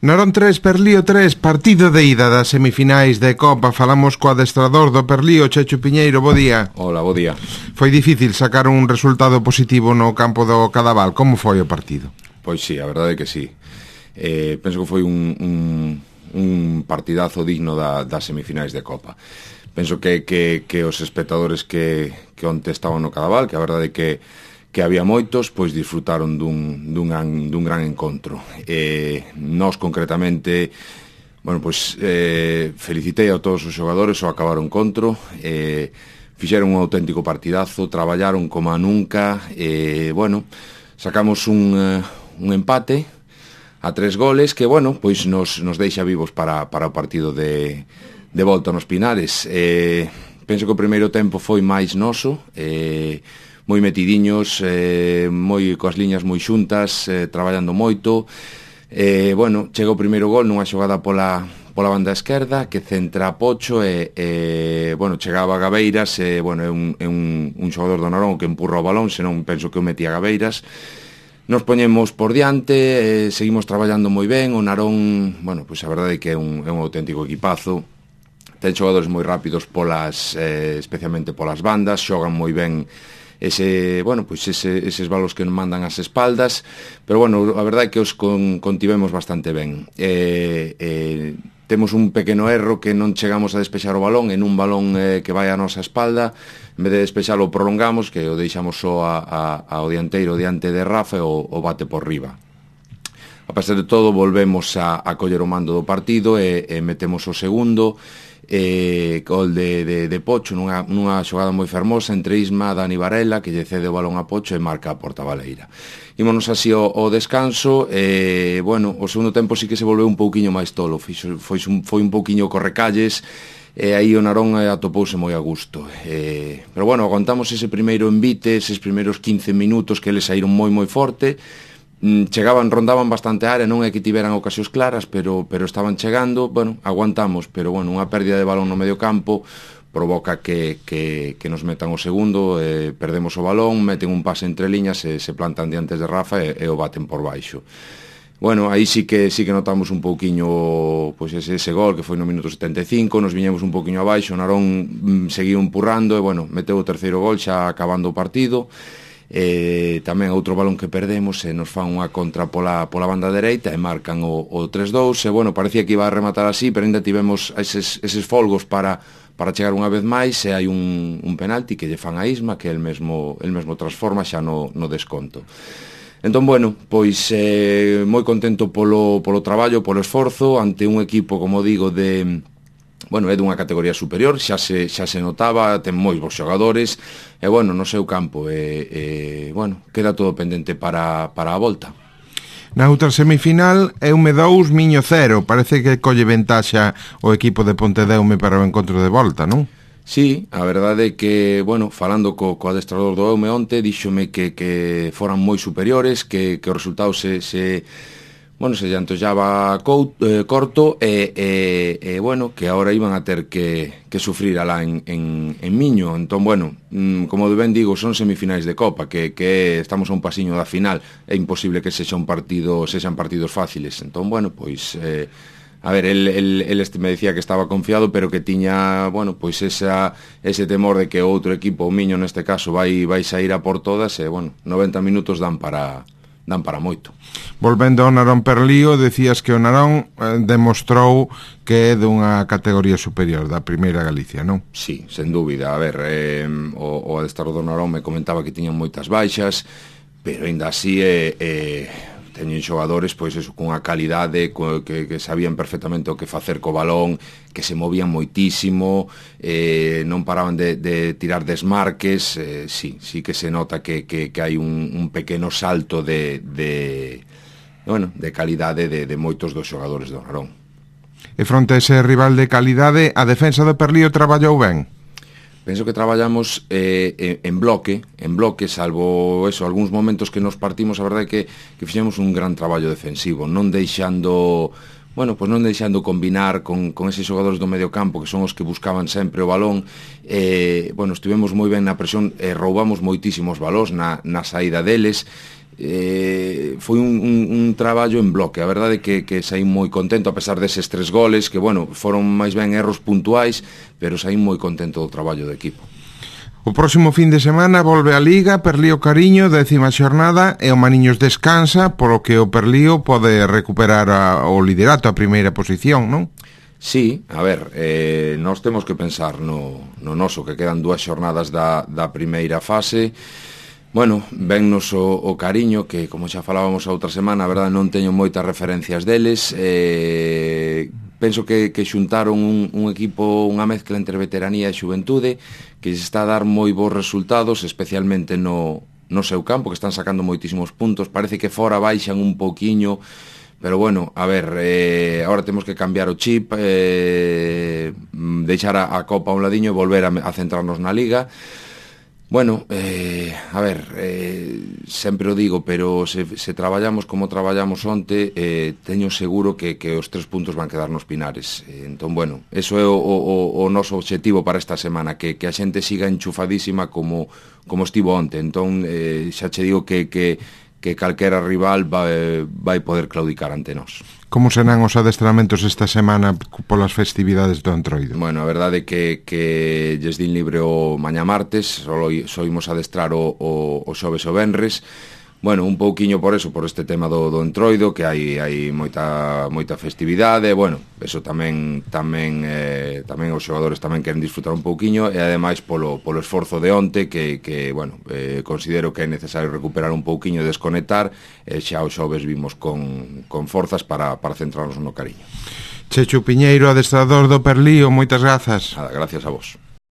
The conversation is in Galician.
Narón 3, Perlío 3, partido de ida das semifinais de Copa. Falamos co adestrador do Perlío, Chechu Piñeiro, bo día. Hola, bo día. Foi difícil sacar un resultado positivo no campo do Cadaval. Como foi o partido? Pois sí, a verdade é que sí. Penso que foi un partidazo digno das semifinais de Copa. Penso que os espectadores que onte estaban no Cadaval, que a verdade é que había moitos, pois disfrutaron dun gran encontro. Nós concretamente, bueno, pois felicitei a todos os xogadores ao acabar o encontro, fixeron un auténtico partidazo, traballaron como nunca, bueno, sacamos un empate a 3 goles que, bueno, pois nos deixa vivos para o partido de volta nos Pinares. Penso que o primeiro tempo foi máis noso, moi metidiños, moi coas liñas moi xuntas, traballando moito. Bueno, chega o primeiro gol nunha xogada pola banda esquerda que centra a Pocho bueno, chegaba a Gabeiras, bueno, é un xogador do Narón que empurra o balón, senón penso que o metía a Gabeiras. Nos poñemos por diante, seguimos traballando moi ben. O Narón, bueno, pois a verdade é que é un auténtico equipazo. Ten xogadores moi rápidos especialmente polas bandas, xogan moi ben eses balos que nos mandan as espaldas, pero bueno, a verdade é que os contivemos bastante ben. Temos un pequeno erro que non chegamos a despexar o balón en un balón que vai á nosa espalda. En vez de despexalo o prolongamos, que o deixamos só ao dianteiro diante de Rafa e o bate por riba. A pesar de todo, volvemos a coller o mando do partido e metemos o segundo. Gol de Pocho nunha xogada moi fermosa entre Isma, Dani Varela, que lle cede o balón a Pocho e marca a porta baleira. Ímonos así ao descanso. Bueno, o segundo tempo sí que se volveu un pouquiño máis tolo, foi un pouquiño correcalles, e aí o Narón atopouse moi a gusto, pero bueno, aguantamos ese primeiro envite, eses primeiros 15 minutos que eles saíron moi forte. Rondaban bastante a área, non é que tiveran ocasións claras, pero estaban chegando. Bueno, aguantamos, pero bueno, unha pérdida de balón no medio campo provoca que nos metan o segundo, perdemos o balón, meten un pase entre liñas e se plantan diantes de Rafa e o baten por baixo. Bueno, aí sí que notamos un pouquiño pois ese gol que foi no minuto 75, nos viñemos un pouquiño abaixo, o Narón seguiu empurrando e bueno, meteu o terceiro gol xa acabando o partido. Tamén outro balón que perdemos e nos fan unha contra pola banda dereita e marcan o 3-2 e bueno, parecía que iba a rematar así, pero ainda tivemos eses folgos para chegar unha vez máis e hai un penalti que lle fan a Isma que el mesmo transforma xa no desconto. Entón, bueno, pois moi contento polo traballo, polo esforzo ante un equipo, como digo, bueno, é dunha categoría superior, xa se notaba, ten moi bons xogadores, e bueno, no seu campo, bueno, queda todo pendente para a volta. Na outra semifinal, Eume 2, Miño 0, parece que colle ventaxa o equipo de Pontedeume para o encontro de volta, non? Sí, a verdade é que, bueno, falando co adestrador do Eume onte, díxome que foran moi superiores, que o resultado se lle antollaba corto e bueno, que agora iban a ter que sufrir alá en Miño. Entón, bueno, como ben digo, son semifinais de Copa, que estamos a un pasiño da final, é imposible que sexan partidos fáciles. Entón, bueno, pois a ver, el me decía que estaba confiado, pero que tiña, bueno, pois ese temor de que outro equipo, o Miño neste caso, vai sair a por todas e, bueno, 90 minutos dan para moito. Volvendo ao Narón Perlío, decías que o Narón demostrou que é dunha categoría superior da primeira Galicia, non? Sí, sen dúbida. A ver, o adestrador do Narón me comentaba que tiñan moitas baixas, pero ainda así teñen xogadores pois eso, cunha calidade que sabían perfectamente o que facer co balón, que se movían moitísimo, non paraban de tirar desmarques. Sí que se nota que hai un pequeno salto de calidade de moitos dos xogadores do Narón. E fronte a ese rival de calidade, a defensa do Perlío traballou ben? Penso que traballamos en bloque, salvo eso, algúns momentos que nos partimos, a verdade é que fixemos un gran traballo defensivo, non deixando combinar con eses xogadores do medio campo que son os que buscaban sempre o balón. Bueno, estivemos moi ben na presión, roubamos moitísimos balóns na saída deles. foi un traballo en bloque. A verdade é que saí moi contento a pesar deses 3 goles que, bueno, foron máis ben erros puntuais, pero saí moi contento do traballo do equipo. O próximo fin de semana volve a Liga, Perlío Cariño, 10ª xornada, e o Maniños descansa, polo que o Perlío pode recuperar o liderato, a primeira posición, non? Sí, a ver, nós temos que pensar no noso, que quedan 2 xornadas da primeira fase. Bueno, vennos o Cariño, que como xa falábamos a outra semana, a verdade non teño moitas referencias deles. Penso que xuntaron un equipo, unha mezcla entre veteranía e xuventude, que se está a dar moi bons resultados, especialmente no seu campo, que están sacando moitísimos puntos. Parece que fora baixan un poquiño, pero bueno, a ver, agora temos que cambiar o chip, deixar a Copa a un ladiño e volver a centrarnos na Liga. Bueno, a ver, sempre o digo, pero se traballamos como traballamos onte, teño seguro que os 3 puntos van quedar nos Pinares. Entón, bueno, eso é o noso obxectivo para esta semana, que a xente siga enchufadísima como estivo onte. Entón, xa che digo que calquera rival vai poder claudicar ante nós. Como serán os adestramentos esta semana polas festividades do Entroido? Bueno, a verdade é que lles din libre o mañá martes, só imos adestrar o xoves o venres. Bueno, un pouquiño por eso, por este tema do Entroido, que hai moita festividade. Bueno, eso tamén os xogadores tamén queren disfrutar un pouquiño, e ademais polo esforzo de onte, que bueno, considero que é necesario recuperar un pouquiño, desconectar, e xa os xoves vimos con forzas para centrarnos no Cariño. Chechu Piñeiro, adestrador do Perlío, moitas grazas. Nada, gracias a vos.